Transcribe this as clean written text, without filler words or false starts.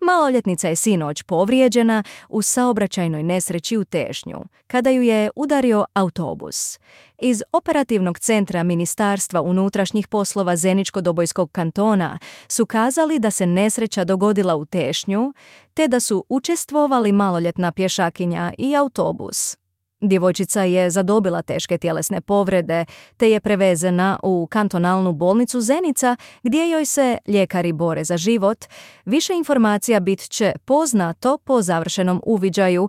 Maloljetnica je sinoć povrijeđena u saobraćajnoj nesreći u Tešnju, kada ju je udario autobus. Iz operativnog centra Ministarstva unutrašnjih poslova Zeničko-Dobojskog kantona su kazali da se nesreća dogodila u Tešnju, te da su učestvovali maloljetna pješakinja i autobus. Djevojčica je zadobila teške tjelesne povrede, te je prevezena u kantonalnu bolnicu Zenica, gdje joj se ljekari bore za život. Više informacija bit će poznato po završenom uviđaju,